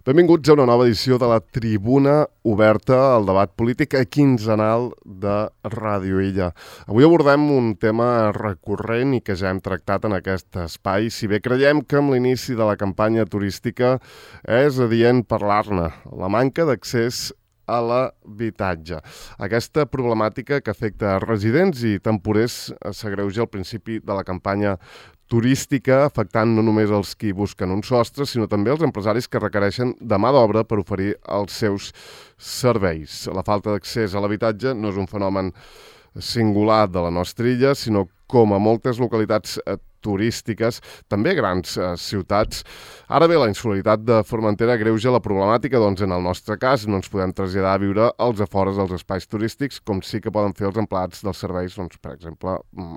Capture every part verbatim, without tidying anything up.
Benvinguts a una nova edició de la Tribuna Oberta, el debat polític quinzenal de Ràdio Illa. Avui abordem un tema recurrent i que ja hem tractat en aquest espai, si bé creiem que amb l'inici de la campanya turística és adient parlar-ne, la manca d'accés a l'habitatge. Aquesta problemàtica que afecta residents i temporers s'agreuja al principi de la campanya turística, afectant no només els qui busquen un sostre, sinó també els empresaris que requereixen de mà d'obra per oferir els seus serveis. La falta d'accés a l'habitatge no és un fenomen singular de la nostra illa, sinó com a moltes localitats turístiques, també grans eh, ciutats. Ara bé, la insolidaritat de Formentera agreuja la problemàtica, doncs en el nostre cas no ens podem traslladar a viure als afores dels espais turístics, com sí que poden fer els empleats dels serveis, doncs, per exemple,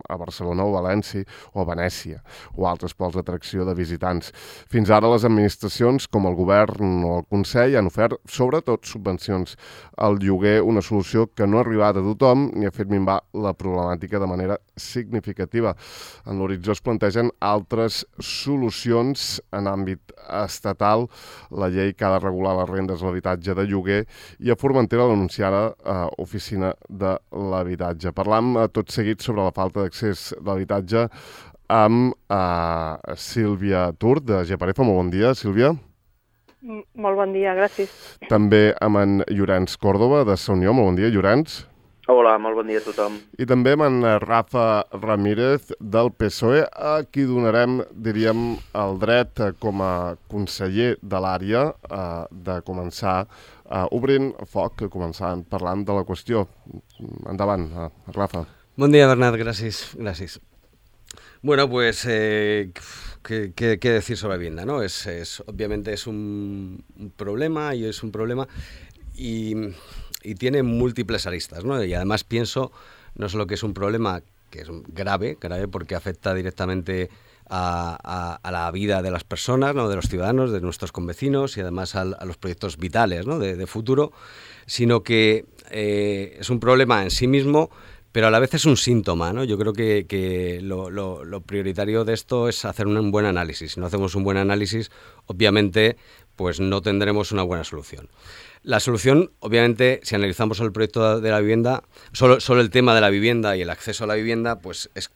a Barcelona o València o a Venècia, o altres pols d'atracció de visitants. Fins ara les administracions, com el govern o el Consell, han ofert sobretot subvencions al lloguer, una solució que no ha arribat a tothom ni ha fet minvar la problemàtica de manera significativa. En l'horitzó es plantegen altres solucions en àmbit estatal, la llei que ha de regular les rendes de l'habitatge de lloguer i a Formentera l'anunciada eh, oficina de l'habitatge. Parlam eh, tot seguit sobre la falta d'accés a l'habitatge amb eh, Sílvia Tur, de Geparefa. Molt bon dia, Sílvia. Molt bon dia, gràcies. També amb en Llorenç Còrdova, de Sa Unió. Molt bon dia, Llorenç. Hola, molt bon dia a tothom. I també amb en Rafa Ramírez, del P S O E, a qui donarem, diríem, el dret com a conseller de l'àrea eh, de començar eh, obrint foc, començant parlant de la qüestió. Endavant, eh, Rafa. Bon dia, Bernat, gràcies. gràcies. Bueno, pues, eh, ¿qué, qué, qué decir sobre la vivienda, ¿no? Es, es, obviamente es un, un problema y es un problema y... y tiene múltiples aristas, ¿no? Y además pienso no solo que es un problema que es grave, grave porque afecta directamente a, a, a la vida de las personas, ¿no? De los ciudadanos, de nuestros convecinos y además a, a los proyectos vitales, ¿no? de, de futuro, sino que eh, es un problema en sí mismo, pero a la vez es un síntoma, ¿no? Yo creo que, que lo, lo, lo prioritario de esto es hacer un buen análisis. Si no hacemos un buen análisis, obviamente, pues no tendremos una buena solución. La solución, obviamente, si analizamos el proyecto de la vivienda, solo, solo el tema de la vivienda y el acceso a la vivienda, pues es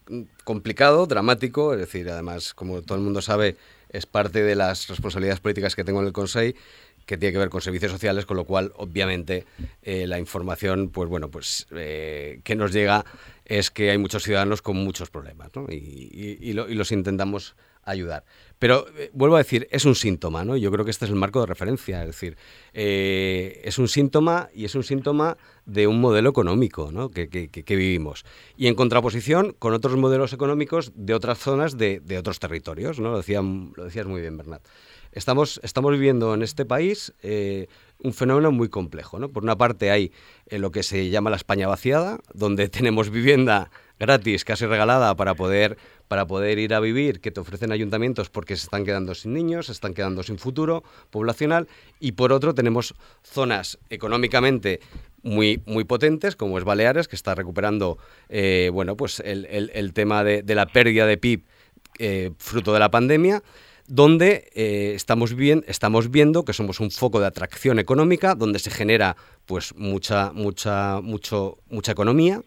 complicado, dramático, es decir, además, como todo el mundo sabe, es parte de las responsabilidades políticas que tengo en el Consell, que tiene que ver con servicios sociales, con lo cual, obviamente, eh, la información, pues bueno, pues eh, que nos llega es que hay muchos ciudadanos con muchos problemas, ¿no? Y, y, y, lo, y los intentamos ayudar. Pero, eh, vuelvo a decir, es un síntoma, ¿no? Yo creo que este es el marco de referencia, es decir, eh, es un síntoma y es un síntoma de un modelo económico, ¿no? que, que, que vivimos. Y en contraposición con otros modelos económicos de otras zonas, de, de otros territorios, ¿no? Lo, decía, lo decías muy bien, Bernat. Estamos, estamos viviendo en este país eh, un fenómeno muy complejo, ¿no? Por una parte hay eh, lo que se llama la España vaciada, donde tenemos vivienda gratis, casi regalada, para poder, para poder ir a vivir, que te ofrecen ayuntamientos porque se están quedando sin niños, se están quedando sin futuro poblacional, y por otro tenemos zonas económicamente muy, muy potentes, como es Baleares, que está recuperando eh, bueno, pues el, el, el tema de, de la pérdida de P I B eh, fruto de la pandemia, donde eh, estamos, bien, estamos viendo que somos un foco de atracción económica, donde se genera pues mucha, mucha, mucho, mucha economía,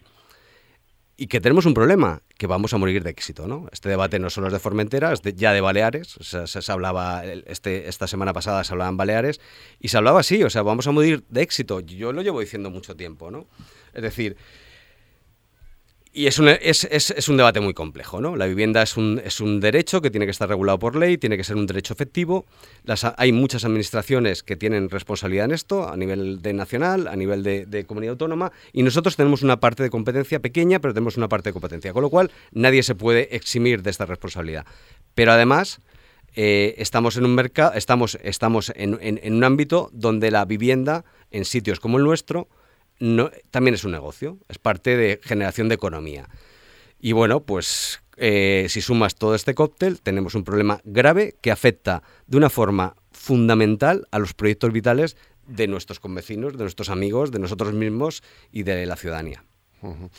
y que tenemos un problema, que vamos a morir de éxito, ¿no? Este debate no solo es de Formentera, es de, ya de Baleares, o sea, se, se hablaba, este, esta semana pasada se hablaba en Baleares, y se hablaba así, o sea, vamos a morir de éxito. Yo lo llevo diciendo mucho tiempo, ¿no? Es decir, y es un, es, es, es un debate muy complejo, ¿no? La vivienda es un, es un derecho que tiene que estar regulado por ley, tiene que ser un derecho efectivo. Las, hay muchas administraciones que tienen responsabilidad en esto, a nivel de nacional, a nivel de, de comunidad autónoma, y nosotros tenemos una parte de competencia pequeña, pero tenemos una parte de competencia, con lo cual nadie se puede eximir de esta responsabilidad. Pero además, eh, estamos en un mercado, estamos, estamos en, en, en un ámbito donde la vivienda, en sitios como el nuestro, No, también es un negocio, es parte de generación de economía. Y bueno, pues eh, si sumas todo este cóctel, tenemos un problema grave que afecta de una forma fundamental a los proyectos vitales de nuestros convecinos, de nuestros amigos, de nosotros mismos y de la ciudadanía. Uh -huh.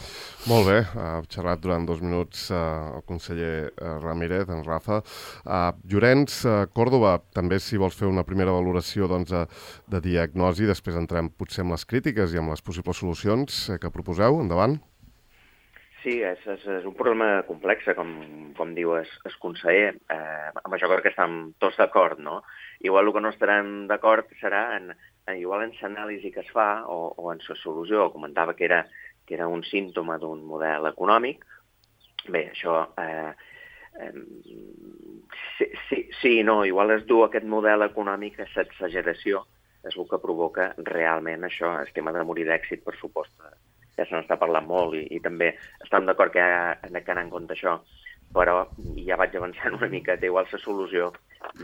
Molt bé, ha xerrat durant dos minuts uh, el conseller uh, Ramírez, en Rafa. Uh, Llorenç, uh, Còrdova, també si vols fer una primera valoració doncs, de, de diagnosi, després entrem potser amb les crítiques i amb les possibles solucions eh, que proposeu. Endavant. Sí, és, és, és un problema complex, com, com diu el, el conseller. Eh, amb això crec que estem tots d'acord, no? Igual el que no estarem d'acord serà en, en, igual en l'anàlisi que es fa o, o en la solució. Comentava que era que era un símptoma d'un model econòmic. Bé, això... Eh, eh, sí, sí, sí, no, igual es du aquest model econòmic a l'exageració, és el que provoca realment això, el tema de morir d'èxit, per supost. Ja se n'està parlant molt i, i també estem d'acord que ha d'anar en compte això, però ja vaig avançant una miqueta, igual la solució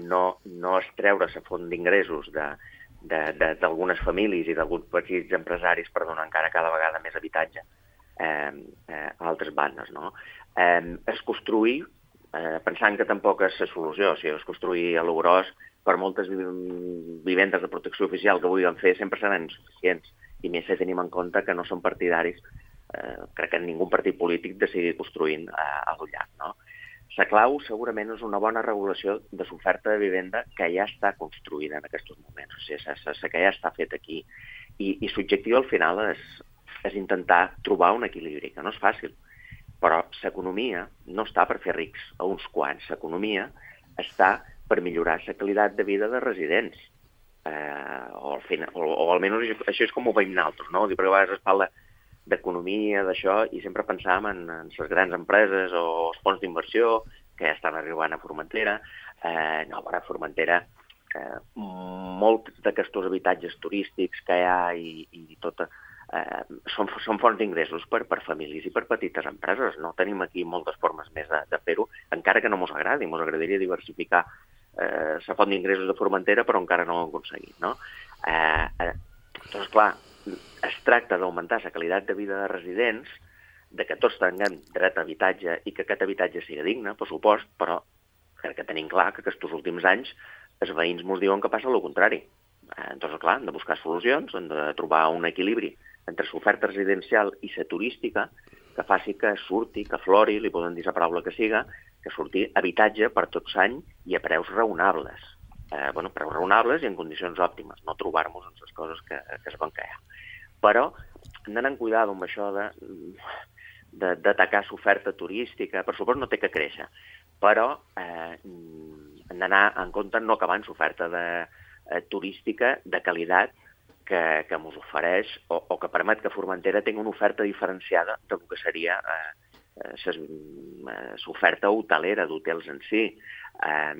no, no és treure la font d'ingressos de d'algunes famílies i d'alguns petits empresaris per donar encara cada vegada més habitatge eh, eh, a altres bandes, no? Eh, es construir, eh, pensant que tampoc és la solució, o sigui, es construir a lo gros, per moltes vivendes de protecció oficial que vulguin fer, sempre seran insuficients, i més si tenim en compte que no són partidaris, eh, crec que ningú partit polític de seguir construint eh, a lo llarg, no? La clau segurament és una bona regulació de l'oferta de vivenda que ja està construïda en aquests moments, o sigui, la que ja està feta aquí. I, i l'objectiu al final és, és intentar trobar un equilibri, que no és fàcil, però l'economia no està per fer rics a uns quants, l'economia està per millorar la qualitat de vida de residents, eh, o, al final, o, o almenys això és com ho veiem nosaltres, no? Perquè a vegades es parla d'economia, d'això, i sempre pensàvem en, en les grans empreses o els fons d'inversió que ja estan arribant a Formentera. Eh, no, a Formentera, eh, molts d'aquests habitatges turístics que hi ha i, i tot, eh, són, són fonts d'ingressos per, per famílies i per petites empreses. No tenim aquí moltes formes més de, de fer-ho, encara que no mos agradi. Mos agradaria diversificar eh, la font d'ingressos de Formentera, però encara no ho hem aconseguit, no? Eh, eh, doncs, clar, es tracta d'augmentar la qualitat de vida de residents, de que tots tinguem dret a habitatge i que aquest habitatge sigui digne, per supost, però crec que tenim clar que aquests últims anys els veïns ens diuen que passa el contrari. Eh, doncs, clar, hem de buscar solucions, hem de trobar un equilibri entre l'oferta residencial i la turística que faci que surti, que flori, li poden dir la paraula que siga, que surti habitatge per tot l'any i a preus raonables. Eh, bueno, preus raonables i en condicions òptimes, no trobar-nos en les coses que, que es van crear. Però hem d'anar amb cuidado amb això de, de, d'atacar l'oferta turística. Per supost no té que créixer, però eh, hem d'anar en compte no acabar amb l'oferta de, eh, turística de qualitat que, que ens ofereix o, o que permet que Formentera tingui una oferta diferenciada del que seria eh, l'oferta hotelera d'hotels en si. Eh,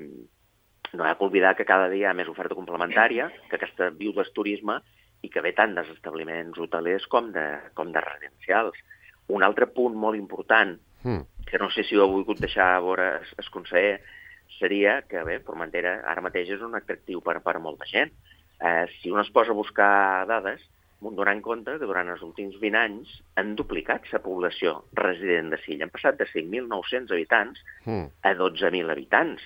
no hi ha que oblidar que cada dia hi ha més oferta complementària, que aquesta viu del turisme i que ve tant dels establiments hotelers com de, com de residencials. Un altre punt molt important, mm. que no sé si ho he volgut deixar a veure el conseller, seria que, bé, Formentera ara mateix és un atractiu per, per molta gent. Eh, si un es posa a buscar dades, donant compte que durant els últims vint anys han duplicat la població resident de Silla. Han passat de cinc mil nou-cents habitants mm. a dotze mil habitants.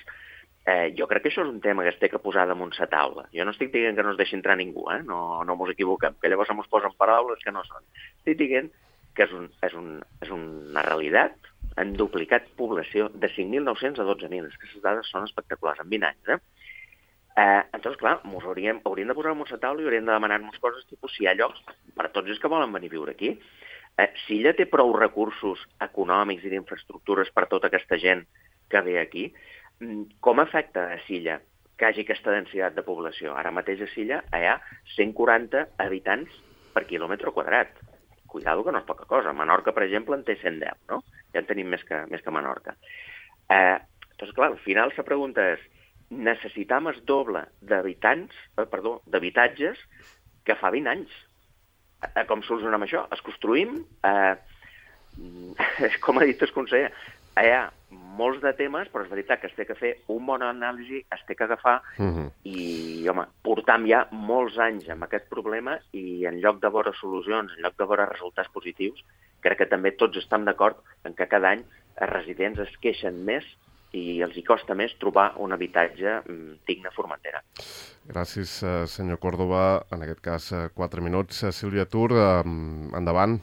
Eh, jo crec que això és un tema que es té que posar damunt la taula. Jo no estic dient que no es deixi entrar ningú, eh? no, no mos equivoquem, que llavors ens posen paraules que no són. Estic dient que és, un, és, un, és una realitat. Han duplicat població de cinc mil nou-cents a dotze mil. Aquestes dades són espectaculars, en vint anys. Eh? Eh, entonces, clar, mos hauríem, hauríem de posar damunt la taula i hauríem de demanar-nos coses tipus si hi ha llocs per a tots els que volen venir a viure aquí. Eh, si ella té prou recursos econòmics i d'infraestructures per a tota aquesta gent que ve aquí, com afecta a Silla que hi hagi aquesta densitat de població? Ara mateix a Silla hi ha cent quaranta habitants per quilòmetre quadrat. Cuidado que no és poca cosa. Menorca, per exemple, en té cent deu, no? Ja en tenim més que, més que Menorca. Eh, doncs, clar, al final la pregunta és, necessitam el doble d'habitants, eh, perdó, d'habitatges que fa vint anys. Eh, com solucionem això? Es construïm, eh, com ha dit el conseller, hi ha molts de temes, però és veritat que es té que fer un bon anàlisi, es té que agafar uh-huh. i, home, portam ja molts anys amb aquest problema i en lloc de veure solucions, en lloc de veure resultats positius, crec que també tots estem d'acord en que cada any els residents es queixen més i els hi costa més trobar un habitatge digne a Formentera. Gràcies, senyor Còrdova. En aquest cas, quatre minuts. Sílvia Tur, endavant.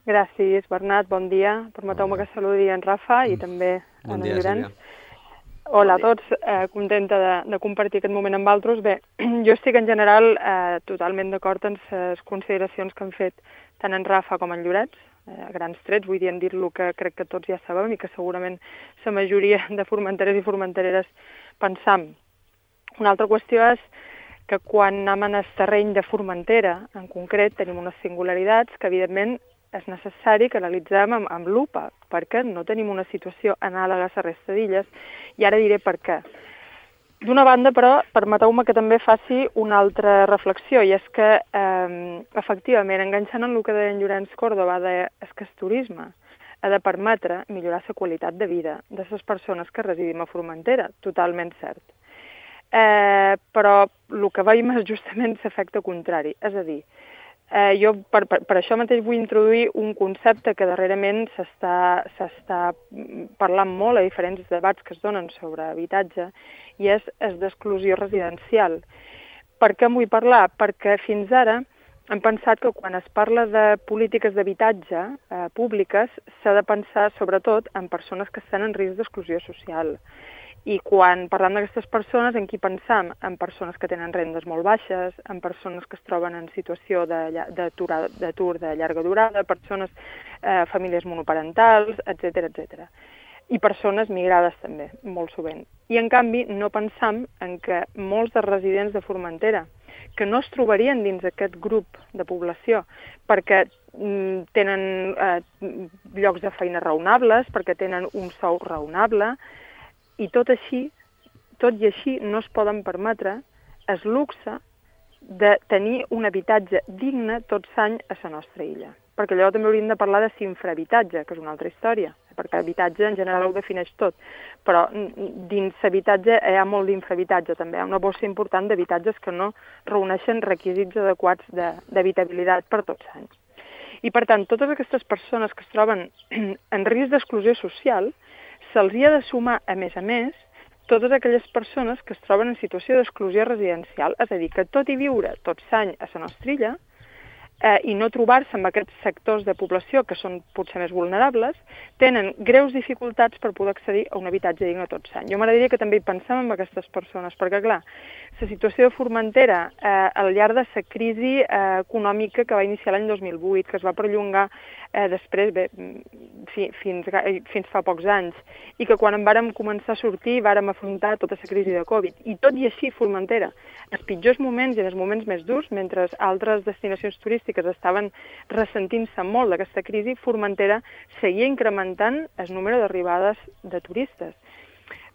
Gràcies, Bernat, bon dia. Permeteu-me que saludi en Rafa i també Bon en dia, Llorenç. Sílvia. Hola a tots, eh, contenta de, de compartir aquest moment amb altres. Bé, jo estic en general eh, totalment d'acord en les consideracions que han fet tant en Rafa com en Llorenç, eh, a grans trets, vull dir, en dir-lo que crec que tots ja sabem i que segurament la majoria de formenteres i formentereres pensam. Una altra qüestió és que quan anem en el terreny de Formentera, en concret, tenim unes singularitats que, evidentment, és necessari que analitzem amb, amb lupa, perquè no tenim una situació anàloga a la resta d'illes, i ara diré per què. D'una banda, però, permeteu-me que també faci una altra reflexió, i és que, eh, efectivament, enganxant en el que deia en Llorenç Córdoba, de, és que el turisme ha de permetre millorar la qualitat de vida de les persones que residim a Formentera, totalment cert. Eh, però el que veiem és justament l'efecte contrari, és a dir, Eh, jo per, per, per això mateix vull introduir un concepte que darrerament s'està parlant molt a diferents debats que es donen sobre habitatge, i és el d'exclusió residencial. Per què en vull parlar? Perquè fins ara hem pensat que quan es parla de polítiques d'habitatge eh, públiques s'ha de pensar sobretot en persones que estan en risc d'exclusió social. I quan parlem d'aquestes persones, en qui pensam? En persones que tenen rendes molt baixes, en persones que es troben en situació d'atur de llarga durada, persones, eh, famílies monoparentals, etcètera, etcètera. I persones migrades també, molt sovint. I en canvi no pensam en que molts dels residents de Formentera, que no es trobarien dins aquest grup de població, perquè mm, tenen eh, llocs de feina raonables, perquè tenen un sou raonable, i tot així, tot i així no es poden permetre el luxe de tenir un habitatge digne tots l'any a la nostra illa. Perquè allò també hauríem de parlar de infrahabitatge, que és una altra història, perquè habitatge en general ho defineix tot, però dins l'habitatge hi ha molt d'infrahabitatge també, hi ha una bossa important d'habitatges que no reuneixen requisits adequats d'habitabilitat per tots anys. I per tant, totes aquestes persones que es troben en risc d'exclusió social, se'ls hi ha de sumar, a més a més, totes aquelles persones que es troben en situació d'exclusió residencial, és a dir, que tot i viure tots l'any a la nostra illa eh, i no trobar-se amb aquests sectors de població que són potser més vulnerables, tenen greus dificultats per poder accedir a un habitatge digne tot l'any. Jo m'agradaria que també hi pensem en aquestes persones, perquè, clar, la situació de Formentera, eh, al llarg de la crisi eh, econòmica que va iniciar l'any dos mil vuit, que es va perllongar eh, després, bé, fi, fins, fins fa pocs anys, i que quan en vàrem començar a sortir vàrem afrontar tota la crisi de Covid. I tot i així, Formentera, els pitjors moments i els moments més durs, mentre altres destinacions turístiques estaven ressentint-se molt d'aquesta crisi, Formentera seguia incrementant el número d'arribades de turistes.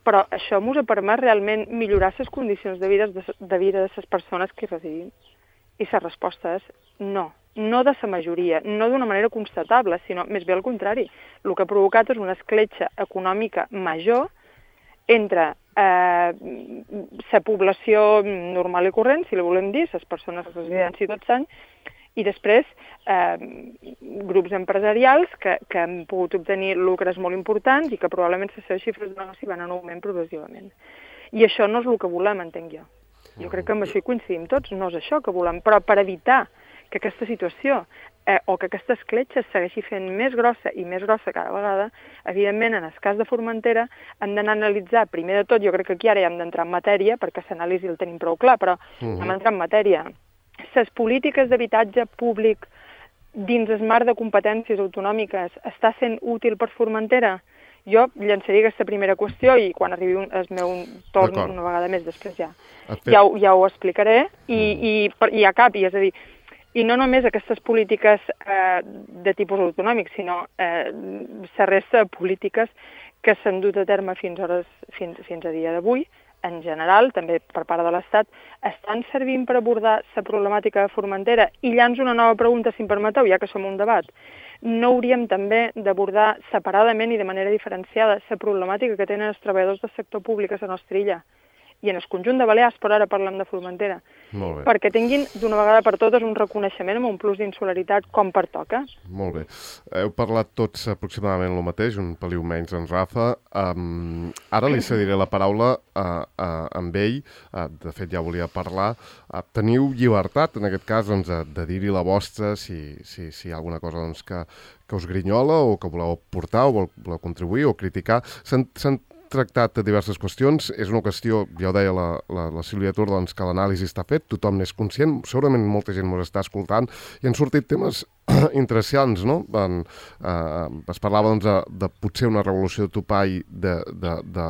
Però això ens ha permès realment millorar les condicions de vida de, de vida de les persones que hi residim. I la resposta és no. No de la majoria, no d'una manera constatable, sinó més bé al contrari. El que ha provocat és una escletxa econòmica major entre eh, la població normal i corrent, si la volem dir, les persones residents i tots anys, i després eh, grups empresarials que, que han pogut obtenir lucres molt importants i que probablement les seves xifres de negoci van en augment progressivament. I això no és el que volem, entenc jo. Jo crec que amb això hi coincidim tots, no és això que volem, però per evitar que aquesta situació eh, o que aquesta escletxa segueixi fent més grossa i més grossa cada vegada, evidentment, en el cas de Formentera, hem d'anar a analitzar, primer de tot, jo crec que aquí ara ja hem d'entrar en matèria, perquè l'anàlisi el tenim prou clar, però uh-huh. hem d'entrar en matèria. Les polítiques d'habitatge públic dins el marc de competències autonòmiques està sent útil per Formentera? Jo llançaria aquesta primera qüestió i quan arribi un, el meu torn una vegada més després ja, ja, ja ho explicaré i, i, i a cap, i és a dir, i no només aquestes polítiques eh, de tipus autonòmic, sinó eh, la resta de polítiques que s'han dut a terme fins, hores, fins, fins a dia d'avui, en general, també per part de l'Estat, estan servint per abordar la problemàtica de Formentera? I llanço una nova pregunta, si em permeteu, ja que som un debat. No hauríem també d'abordar separadament i de manera diferenciada la problemàtica que tenen els treballadors del sector públic a la nostra illa i en el conjunt de Balears, però ara parlem de Formentera, Molt bé. perquè tinguin d'una vegada per totes un reconeixement amb un plus d'insularitat com pertoca. Molt bé. Heu parlat tots aproximadament el mateix, un peliu menys en Rafa. Um, ara li cediré la paraula a, a, a ell. Uh, de fet, ja volia parlar. Uh, teniu llibertat, en aquest cas, doncs, de, de dir-hi la vostra, si, si, si hi ha alguna cosa doncs, que, que us grinyola o que voleu portar o voleu contribuir o criticar. S'han tractat de diverses qüestions. És una qüestió, ja ho deia la, la, la Sílvia Tur, doncs, que l'anàlisi està fet, tothom n'és conscient, segurament molta gent ens està escoltant i han sortit temes interessants, no? En, eh, es parlava doncs, de, de potser una revolució de topall de, de, de,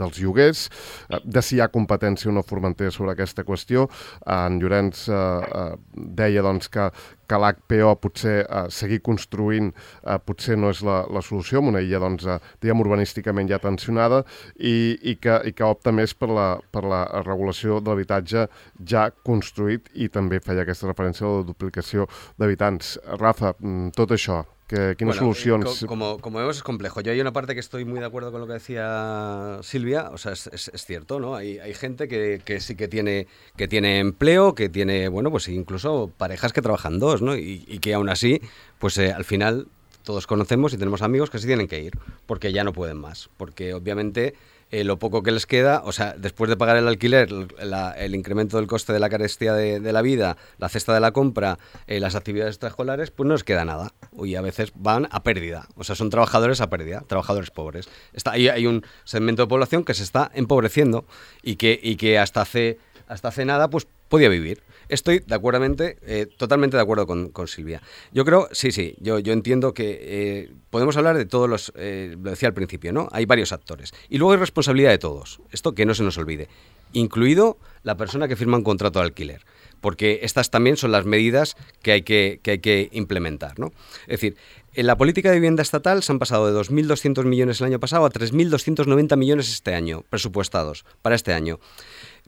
dels lloguers, eh, de si hi ha competència o no Formentera sobre aquesta qüestió. En Llorenç eh, eh, deia doncs, que, que l'H P O potser eh, seguir construint eh, potser no és la, la solució, amb una illa doncs, eh, diguem, urbanísticament ja tensionada i, i, que, i que opta més per la, per la regulació de l'habitatge ja construït i també feia aquesta referència a la duplicació d'habitants. Rafa, tot això, que, ¿qué bueno, soluciones? Eh, como, como vemos es complejo. Yo hay una parte que estoy muy de acuerdo con lo que decía Silvia, o sea, es, es, es cierto, ¿no? Hay, hay gente que, que sí que tiene, que tiene empleo, que tiene, bueno, pues incluso parejas que trabajan dos, ¿no? Y, y que aún así, pues eh, al final todos conocemos y tenemos amigos que sí tienen que ir, porque ya no pueden más, porque obviamente eh, lo poco que les queda, o sea, después de pagar el alquiler, la, el incremento del coste de la carestía de, de la vida, la cesta de la compra, eh, las actividades extraescolares, pues no les queda nada. Y a veces van a pérdida, o sea, son trabajadores a pérdida, trabajadores pobres. Está, hay, hay un segmento de población que se está empobreciendo y que, y que hasta hace, hasta hace nada pues podía vivir. Estoy de acuerdo, eh, totalmente de acuerdo con, con Silvia. Yo creo, sí, sí, yo, yo entiendo que eh, podemos hablar de todos los, eh, lo decía al principio, ¿no? Hay varios actores. Y luego hay responsabilidad de todos, esto que no se nos olvide, incluido la persona que firma un contrato de alquiler, porque estas también son las medidas que hay que, que, hay que implementar, ¿no? Es decir, en la política de vivienda estatal se han pasado de dos mil doscientos millones el año pasado a tres mil doscientos noventa millones este año, presupuestados para este año.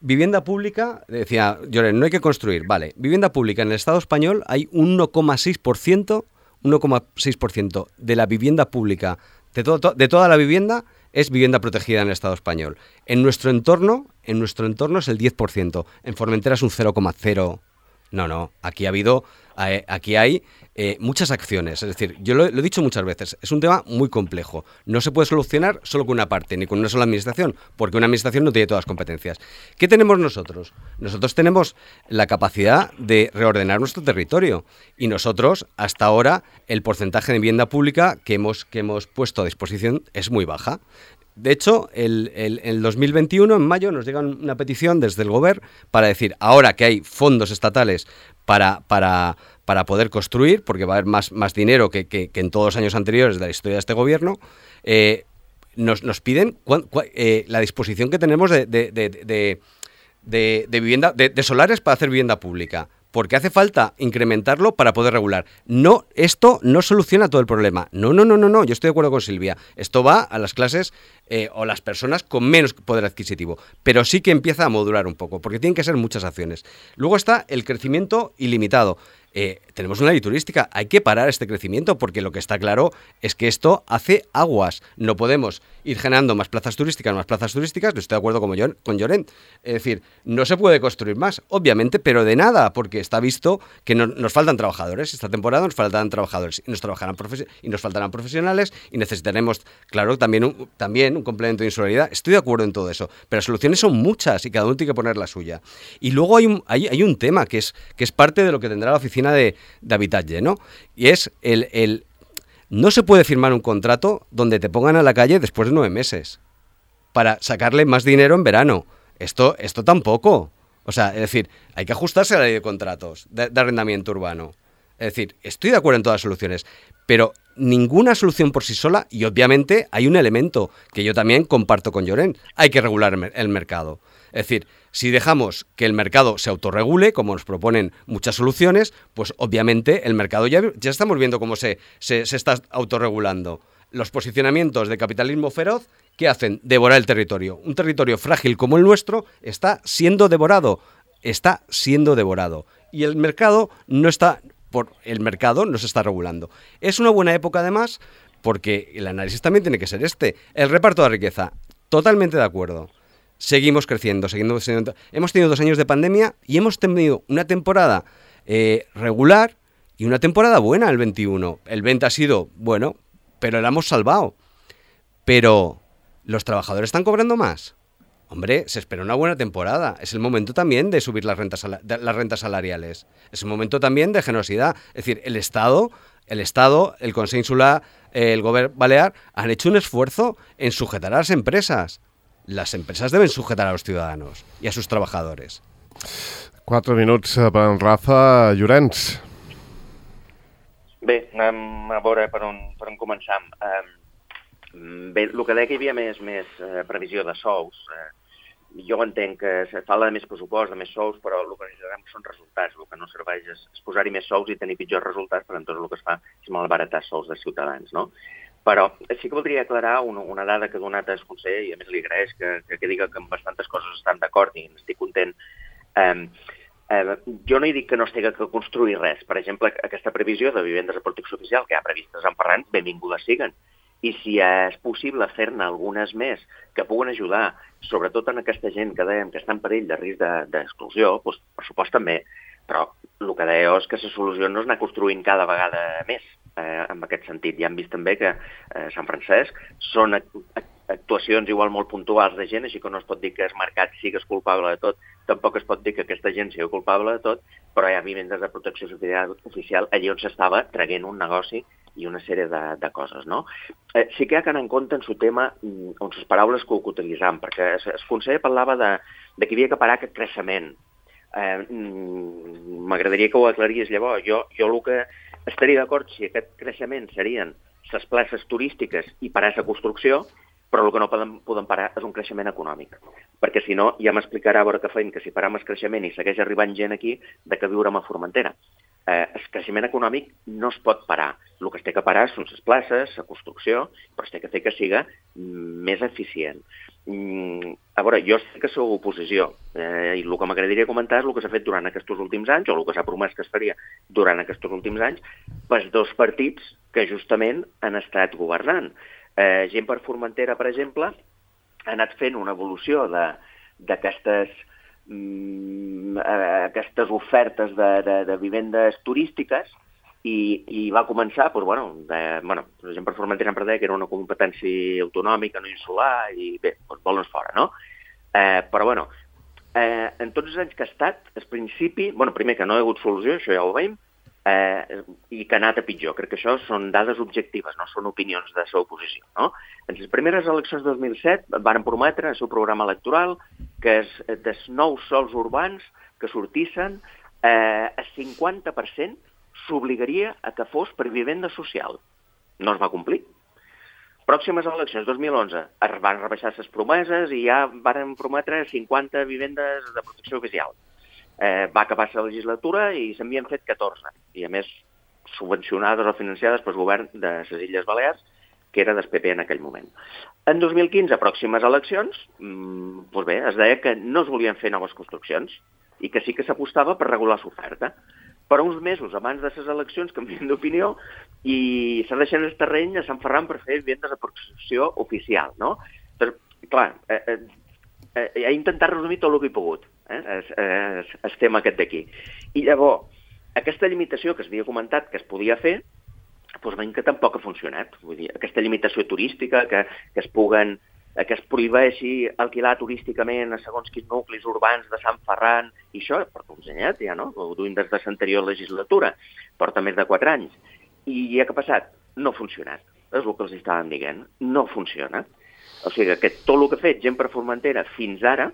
Vivienda pública, decía Llorens, no hay que construir. Vale, vivienda pública en el Estado español hay un uno coma seis por ciento, uno coma seis por ciento de la vivienda pública, de, todo, de toda la vivienda, es vivienda protegida en el Estado español. En nuestro entorno, en nuestro entorno es el diez por ciento. En Formentera es un cero coma cero. No, no, aquí ha habido, eh, aquí hay eh, muchas acciones. Es decir, yo lo, lo he dicho muchas veces, es un tema muy complejo. No se puede solucionar solo con una parte, ni con una sola administración, porque una administración no tiene todas las competencias. ¿Qué tenemos nosotros? Nosotros tenemos la capacidad de reordenar nuestro territorio. Y nosotros, hasta ahora, el porcentaje de vivienda pública que hemos, que hemos puesto a disposición es muy baja. De hecho, el, el, el dos mil veintiuno, en mayo, nos llega una petición desde el Gobierno para decir, ahora que hay fondos estatales para, para, para poder construir, porque va a haber más, más dinero que, que, que en todos los años anteriores de la historia de este Gobierno, eh, nos, nos piden cuan, cuan, eh, la disposición que tenemos de, de, de, de, de, de, vivienda, de, de solares para hacer vivienda pública. Porque hace falta incrementarlo para poder regular. No, esto no soluciona todo el problema. No, no, no, no, no. Yo estoy de acuerdo con Silvia. Esto va a las clases eh, o las personas con menos poder adquisitivo. Pero sí que empieza a modular un poco, porque tienen que ser muchas acciones. Luego está el crecimiento ilimitado. Eh, tenemos una ley turística, hay que parar este crecimiento porque lo que está claro es que esto hace aguas. No podemos ir generando más plazas turísticas, más plazas turísticas, no estoy de acuerdo con, Jon, con Llorens. Es decir, no se puede construir más, obviamente, pero de nada, porque está visto que no, nos faltan trabajadores. Esta temporada nos faltan trabajadores y nos, trabajarán profe- y nos faltarán profesionales y necesitaremos, claro, también un, también un complemento de insularidad. Estoy de acuerdo en todo eso, pero las soluciones son muchas y cada uno tiene que poner la suya. Y luego hay un, hay, hay un tema que es, que es parte de lo que tendrá la oficina de, de habitatge, ¿no? Y es el, el... No se puede firmar un contrato donde te pongan a la calle después de nueve meses para sacarle más dinero en verano. Esto, esto tampoco. O sea, es decir, hay que ajustarse a la ley de contratos de, de arrendamiento urbano. Es decir, estoy de acuerdo en todas las soluciones, pero ninguna solución por sí sola, y obviamente hay un elemento que yo también comparto con Llorens, hay que regular el mercado. Es decir, si dejamos que el mercado se autorregule, como nos proponen muchas soluciones, pues obviamente el mercado ya, ya estamos viendo cómo se, se, se está autorregulando. Los posicionamientos de capitalismo feroz, ¿qué hacen? Devorar el territorio. Un territorio frágil como el nuestro está siendo devorado, está siendo devorado. Y el mercado no está, por el mercado no se está regulando. Es una buena época además, porque el análisis también tiene que ser este. El reparto de riqueza, totalmente de acuerdo. seguimos creciendo, seguimos creciendo. Hemos tenido dos años de pandemia y hemos tenido una temporada eh, regular y una temporada buena el veintiuno. El veinte ha sido, bueno, pero la hemos salvado. Pero, ¿los trabajadores están cobrando más? Hombre, se espera una buena temporada. Es el momento también de subir las rentas, las rentas salariales. Es el momento también de generosidad. Es decir, el Estado, el Estado, el Consell Insular, el Govern Balear han hecho un esfuerzo en sujetar a las empresas. Las empresas deben sujetar a los ciudadanos y a sus trabajadores. Quatre minuts per en Rafa. Llorenç. Bé, anem a veure per on, per on començam. Um, bé, el que deia que hi havia més, més uh, previsió de sous, uh, jo entenc que se parla de més pressupost, de més sous, però el que necessitem són resultats. El que no serveix és, és posar-hi més sous i tenir pitjors resultats, perquè tot el que es fa és malbaratar sous de ciutadans, no? Però sí que voldria aclarar una, una dada que ha donat el conseller, i a més li agraeix que, que, que diga que amb bastantes coses estan d'acord i n'estic content. Um, Eh, jo no he dit que no es tingui que construir res. Per exemple, aquesta previsió de vivendes de protecció oficial que hi ha previstes en Ferran, benvingudes siguen. I si és possible fer-ne algunes més que puguen ajudar, sobretot en aquesta gent que dèiem que està en perill de risc d'exclusió, doncs, per supost també. Però el que deia és que la solució no és anar construint cada vegada més. Eh, en aquest sentit, ja hem vist també que eh, Sant Francesc són actuacions igual molt puntuals de gent, així que no es pot dir que el mercat sigues culpable de tot, tampoc es pot dir que aquesta gent sigui culpable de tot, però hi ha vivendes de protecció oficial allí on s'estava traient un negoci i una sèrie de, de coses, no? Eh, sí que hi ha que anar en compte en el tema, on les paraules que ho utilitzam, perquè el conseller parlava de, de que hi havia que parar aquest creixement. Eh, M'agradaria que ho aclaries llavors. Jo, jo el que estaria d'acord si aquest creixement serien les places turístiques i parar la construcció, però el que no podem, podem parar és un creixement econòmic. Perquè si no, ja m'explicarà a veure què feim, que si param el creixement i segueix arribant gent aquí, de què viurem a Formentera. Eh, el creixement econòmic no es pot parar. El que es té que parar són les places, la construcció, però es té que fer que siga més eficient. Mm, a veure, jo sé que sou oposició, eh, i el que m'agradaria comentar és el que s'ha fet durant aquests últims anys, o el que s'ha promès que es faria durant aquests últims anys, pels dos partits que justament han estat governant. Eh, gent per Formentera, per exemple, ha anat fent una evolució d'aquestes mm, aquestes ofertes de, de, de vivendes turístiques i, i va començar, doncs, bueno, de, bueno, gent per Formentera sempre deia que era una competència autonòmica, no insular, i bé, doncs volen fora, no? Eh, però, bueno, eh, en tots els anys que ha estat, al principi, bueno, primer que no hi ha hagut solució, això ja ho veiem, Eh, i que ha anat a pitjor. Crec que això són dades objectives, no són opinions de la seva oposició, no? En les primeres eleccions de dos mil set van prometre el seu programa electoral que es, dels nous sols urbans que sortissin, eh, el cinquanta per cent s'obligaria a que fos per vivenda social. No es va complir. Pròximes eleccions, dos mil onze, es van rebaixar les promeses i ja van prometre cinquanta vivendes de protecció oficial. Eh, va acabar la legislatura i se n'havien fet catorze, i a més subvencionades o financiades pel govern de les Illes Balears, que era del P P en aquell moment. En dos mil quinze, pròximes eleccions, mmm, doncs bé, es deia que no es volien fer noves construccions i que sí que s'apostava per regular l'oferta. Però uns mesos abans de les eleccions canvien d'opinió i s'ha deixat el terreny a Sant Ferran per fer vivendes de protecció oficial, no? Doncs, clar, eh, eh, eh, he intentat resumir tot el que he pogut. Eh? Es, es, es tema aquest d'aquí. I llavors, aquesta limitació que s'havia comentat que es podia fer, doncs veiem que tampoc ha funcionat. Vull dir, aquesta limitació turística, que, que es puguen, que es prohibeixi alquilar turísticament a segons quins nuclis urbans de Sant Ferran, i això porta uns anyets ja, no? Ho duim des de l'anterior legislatura, porta més de quatre anys. I ja que ha passat? No ha funcionat. És el que els estàvem dient. No funciona. O sigui que tot el que ha fet gent per Formentera fins ara,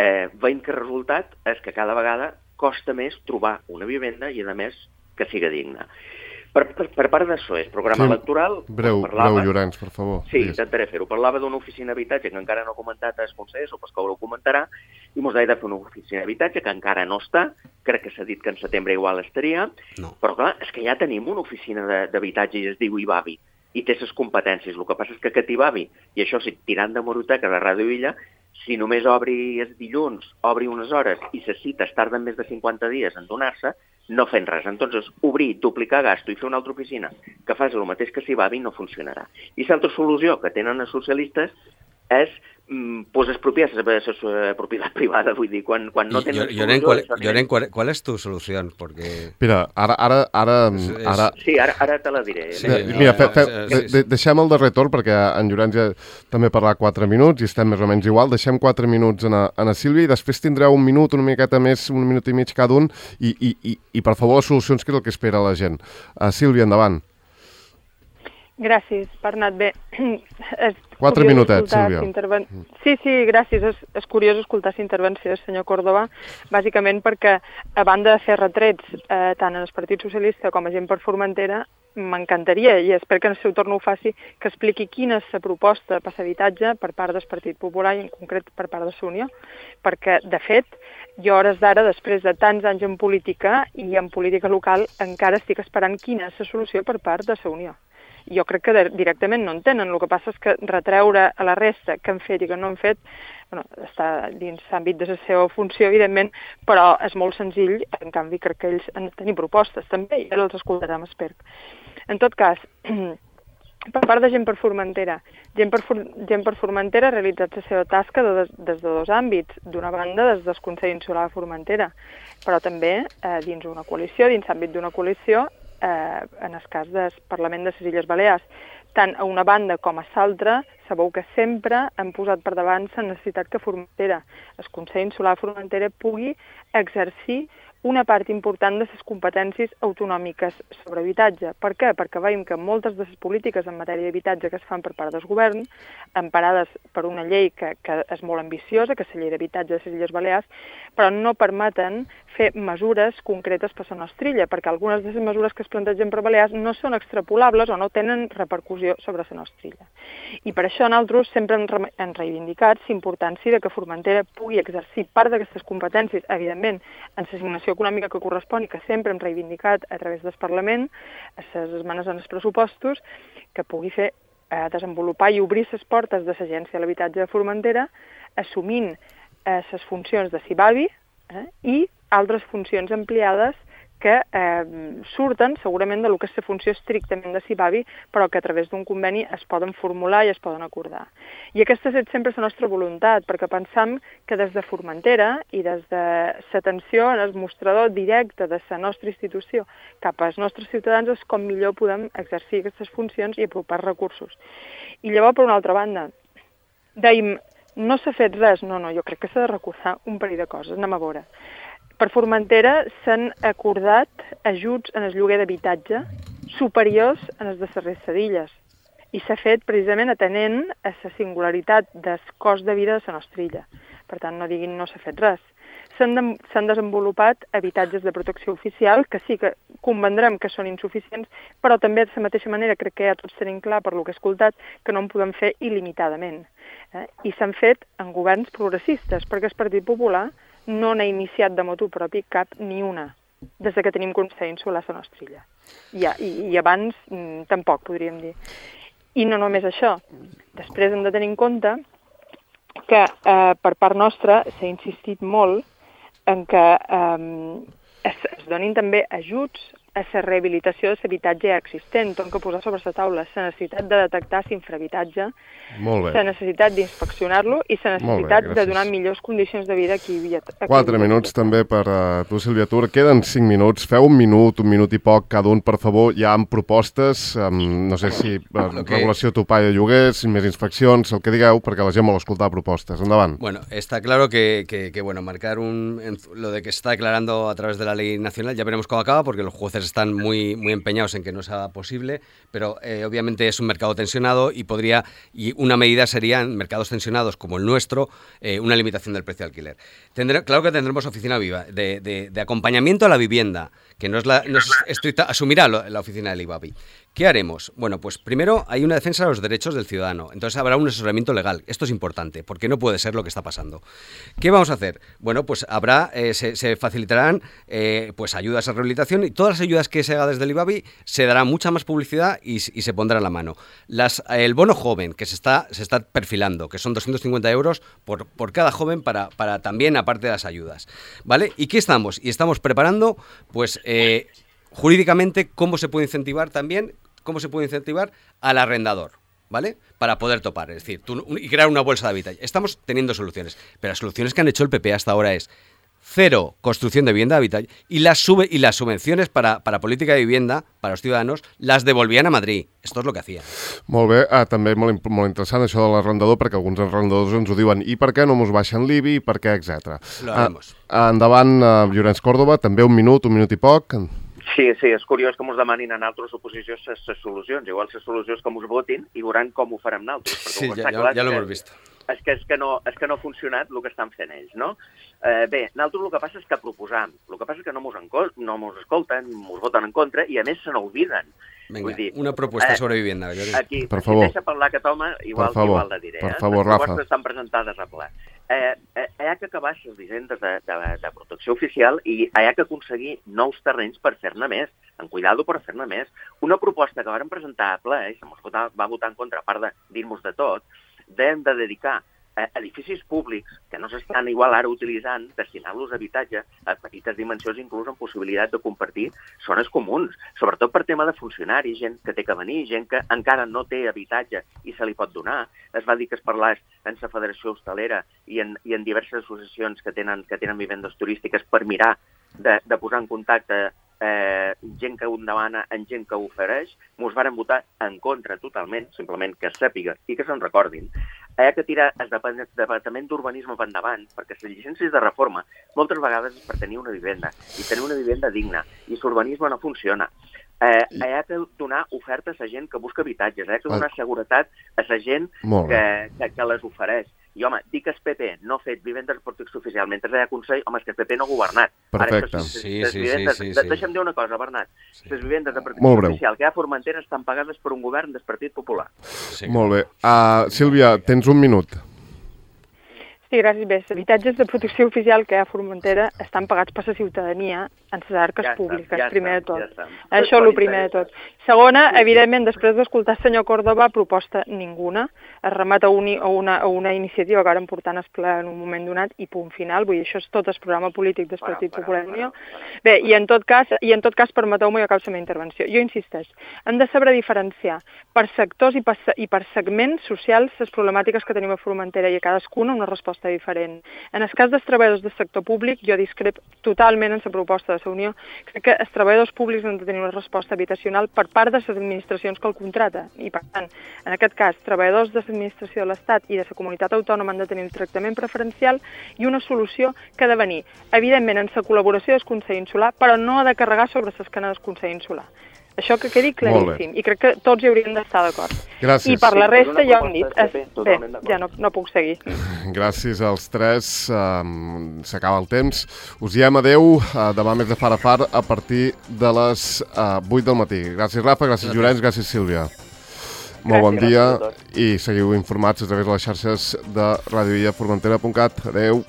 Eh, veiem que el resultat és que cada vegada costa més trobar una vivenda i, a més, que siga digna. Per, per, per part d'això, és programa sí, electoral... Breu, parlava, breu, Llorenç, per favor. Sí, intentaré fer-ho. Parlava d'una oficina d'habitatge que encara no ha comentat el conseller, o pas que ho comentarà, i mos deia de fer una oficina d'habitatge que encara no està, crec que s'ha dit que en setembre igual estaria, no. Però clar, és que ja tenim una oficina d'habitatge i es diu Ibavi, i té les competències. El que passa és que aquest Ibavi, i això sí, tirant de Moroteca de Ràdio Illa, si només obri els dilluns, obri unes hores i les cites tarden més de cinquanta dies en donar-se, no fent res. Entonces, obrir, duplicar gasto i fer una altra oficina que fas el mateix que s'hi va no funcionarà. I l'altra solució que tenen els socialistes és pues expropiar la seva propietat privada, vull dir, quan, quan no tenen... Lloren, ¿cuál, Lloren, ¿cuál, ¿cuál es tu solución? Porque... Mira, ara... ara, ara, ara... Sí, ara, ara te la diré. Sí, mira, fe, fe, de, de, deixem el darrer torn, perquè en Llorenç ja també parlarà quatre minuts i estem més o menys igual. Deixem quatre minuts a, a la Sílvia i després tindreu un minut, una miqueta més, un minut i mig cada un i, i, i, i per favor, les solucions, que és el que espera la gent. Uh, Sílvia, endavant. Gràcies, Bernat. Bé, és Quatre minutets, Sílvia. Interven... Sí, sí, gràcies. És, és curiós escoltar la intervenció del senyor Córdoba, bàsicament perquè, a banda de fer retrets eh, tant en el Partit Socialista com a gent per Formentera, m'encantaria, i espero que en el seu torn ho faci, que expliqui quina és la proposta per l'habitatge per part del Partit Popular i en concret per part de la Unió, perquè, de fet, jo a hores d'ara, després de tants anys en política i en política local, encara estic esperant quina és la solució per part de la Unió. Jo crec que directament no en tenen. El que passa és que retreure a la resta que han fet i que no han fet, bueno, està dins l'àmbit de la seva funció, evidentment, però és molt senzill. En canvi, crec que ells han de tenir propostes també, i ara els escoltarem, espero. En tot cas, per part de Gent per Formentera, Gent per, For Gent per Formentera ha realitzat la seva tasca de, des de dos àmbits. D'una banda, des del Consell Insular de Formentera, però també eh, dins una coalició, dins l'àmbit d'una coalició, Eh, en el cas del Parlament de les Illes Balears. Tant a una banda com a l'altra, sabeu que sempre han posat per davant la necessitat que Formentera, el Consell Insular de Formentera, pugui exercir una part important de les competències autonòmiques sobre habitatge. Per què? Perquè veiem que moltes de les polítiques en matèria d'habitatge que es fan per part del govern, emparades per una llei que, que és molt ambiciosa, que és la llei d'habitatge de les Illes Balears, però no permeten fer mesures concretes per la nostra illa, perquè algunes de les mesures que es plantegen per Balears no són extrapolables o no tenen repercussió sobre la nostra illa. I per això nosaltres sempre hem, re hem reivindicat la importància de que Formentera pugui exercir part d'aquestes competències, evidentment, en l'assignació econòmica que correspon i que sempre hem reivindicat a través del Parlament, a les esmenes en els pressupostos, que pugui fer eh, desenvolupar i obrir les portes de l'Agència de l'Habitatge de Formentera, assumint eh, les funcions de CIBAVI eh, i altres funcions ampliades que eh, surten segurament de lo que és la funció estrictament de CIBAVI, però que a través d'un conveni es poden formular i es poden acordar. I aquesta és sempre la nostra voluntat, perquè pensam que des de Formentera i des de l'atenció en el mostrador directe de la nostra institució cap als nostres ciutadans és com millor podem exercir aquestes funcions i apropar recursos. I llavors, per una altra banda, dèiem, no s'ha fet res, no, no, jo crec que s'ha de recordar un parell de coses, anem a veure. Per Formentera s'han acordat ajuts en el lloguer d'habitatge superiors a les de les resta d'illes i s'ha fet precisament atenent a la singularitat del cost de vida de la nostra illa. Per tant, no diguin no s'ha fet res. S'han de, s'han desenvolupat habitatges de protecció oficial que sí que convendrem que són insuficients, però també de la mateixa manera crec que ja tots tenim clar per lo que he escoltat que no en podem fer il·limitadament. Eh? I s'han fet en governs progressistes, perquè el Partit Popular no n'ha iniciat de motu propi cap ni una, des que tenim Consell Insular a la nostra illa. I, i, i abans mm, tampoc, podríem dir. I no només això. Després hem de tenir en compte que eh, per part nostra s'ha insistit molt en que eh, es, es donin també ajuts a la rehabilitació de l'habitatge existent. Hem de posar sobre la taula la necessitat de detectar l'infrahabitatge, la necessitat d'inspeccionar-lo i la necessitat bé, de donar millors condicions de vida a qui vivia. Quatre minuts també per uh, tu, Sílvia Tur. Queden cinc minuts. Feu un minut, un minut i poc cada un, per favor. Hi ha amb-propostes, um, no sé si uh, okay. regulació topall de lloguers, més inspeccions, el que digueu, perquè la gent vol escoltar propostes. Endavant. Bueno, está claro que, que, que bueno, marcar un, lo de que se está declarando a través de la ley nacional, ya veremos cómo acaba, porque los jueces están muy, muy empeñados en que no sea posible, pero eh, obviamente es un mercado tensionado y podría, y una medida sería en mercados tensionados como el nuestro, eh, una limitación del precio de alquiler. Tendré, claro que tendremos oficina viva de, de, de acompañamiento a la vivienda, que no es, la, no es estricta, asumirá lo, la oficina del IBAVI. ¿Qué haremos? Bueno, pues primero hay una defensa de los derechos del ciudadano, entonces habrá un asesoramiento legal. Esto es importante, porque no puede ser lo que está pasando. ¿Qué vamos a hacer? Bueno, pues habrá, eh, se, se facilitarán eh, pues ayudas a rehabilitación y todas las ayudas que se haga desde el IBAVI se dará mucha más publicidad y, y se pondrá en la mano. Las, el bono joven que se está, se está perfilando, que son doscientos cincuenta euros por, por cada joven para, para también aparte de las ayudas, ¿vale? ¿Y qué estamos? Y estamos preparando, pues, eh, jurídicamente cómo se puede incentivar también, cómo se puede incentivar al arrendador, ¿vale? Para poder topar, es decir, tú, y crear una bolsa de hábitat. Estamos teniendo soluciones, pero las soluciones que han hecho el P P hasta ahora es cero construcción de vivienda de hábitat y las, sube, y las subvenciones para, para política de vivienda, para los ciudadanos, las devolvían a Madrid. Esto és el que hacían. Molt bé, ah, també molt, molt interessant això de l'arrendador, perquè alguns arrendadors ens ho diuen i per què no mos baixen l'I B I, i per què, etcètera. Lo haremos. Ah, endavant, uh, Llorenç Córdoba, també un minut, un minut i poc. Sí, sí, és curiós que mos demanin a nosaltres oposicions les solucions. Igual les solucions que mos votin i veuran com ho farem nosaltres. Sí, ja, ja, ja l'ho hem vist. És que, és, que no, és que no ha funcionat el que estan fent ells, no? Eh, bé, nosaltres el que passa és que proposam. El que passa és que no mos, no mos escolten, mos voten en contra i a més se n'obliden. Venga, Vull dir, una propuesta eh, sobre vivienda. Aquí, per favor. Si deixa parlar aquest home, igual, favor, igual la diré. Per eh? favor, Les Rafa. propostes estan presentades a ple. Eh, eh, hi ha que acabar les visendes de, de, de protecció oficial i hi ha que aconseguir nous terrenys per fer-ne més, en cuidado per fer-ne més. Una proposta que vàrem presentar a ple, i se mos va votar en contra, a part de dir-nos de tot, hem de dedicar a edificis públics que no s'estan igual ara utilitzant, destinar-los a habitatge a petites dimensions, inclús amb possibilitat de compartir zones comuns, sobretot per tema de funcionaris, gent que té que venir, gent que encara no té habitatge i se li pot donar. Es va dir que es parlés en la Federació Hostalera i en, i en diverses associacions que tenen, que tenen vivendes turístiques per mirar de, de posar en contacte Eh, gent que ho demana en gent que ho ofereix. Mos varen votar en contra totalment, simplement que es sàpiga i que se'n recordin. Hi ha que tirar el Departament d'Urbanisme per endavant, perquè les llicències de reforma moltes vegades és per tenir una vivenda, i tenir una vivenda digna, i l'urbanisme no funciona. Eh, hi ha que donar ofertes a gent que busca habitatges, hi ha que donar seguretat a la gent que, que, que les ofereix. I, home, dir que el P P no ha fet vivendes de protecció oficial mentre hi ha Consell, home, és que el P P no ha governat. Perfecte. Ara, sí, sí, vivendes, sí, sí, sí. Deixa'm dir una cosa, Bernat. Sí. Les vivendes de protecció oficial que hi ha a Formentera estan pagades per un govern del Partit Popular. Sí, molt bé. Uh, Sílvia, tens un minut. Sí, gràcies. Bé, els habitatges de protecció oficial que hi ha a Formentera estan pagats per la ciutadania en les arques ja públiques, ja primer està, de tot. Ja Això és el primer de tot. Segona, evidentment, després d'escoltar el senyor Córdoba, proposta ninguna. Es remet a, un, a, una, a una iniciativa que ara portant es ple en un moment donat i punt final. Vull dir, això és tot el programa polític del Partit Popular Unió. Bé, i en tot cas, i en tot cas permeteu-me i acabo la meva intervenció. Jo insisteix, hem de saber diferenciar per sectors i per, i per segments socials les problemàtiques que tenim a Formentera i a cadascuna una resposta diferent. En el cas dels treballadors del sector públic, jo discrep totalment en la proposta de la Unió. Crec que els treballadors públics han de tenir una resposta habitacional per part de les administracions que el contrata. I, per tant, en aquest cas, treballadors de l'administració de l'Estat i de la comunitat autònoma han de tenir un tractament preferencial i una solució que ha de venir, evidentment, en la col·laboració del Consell Insular, però no ha de carregar sobre les canes del Consell Insular. Això que quedi claríssim, i crec que tots hi hauríem d'estar d'acord. Gràcies. I per la resta ja ho hem dit. Es... Bé, ja no, no puc seguir. Gràcies als tres. Um, S'acaba el temps. Us diem adeu. Uh, demà més de far a far a partir de les uh, vuit del matí. Gràcies, Rafa. Gràcies, Llorenç. Gràcies, Sílvia. Molt bon dia i seguiu informats a través de les xarxes de radioilla formentera punt cat. Adeu.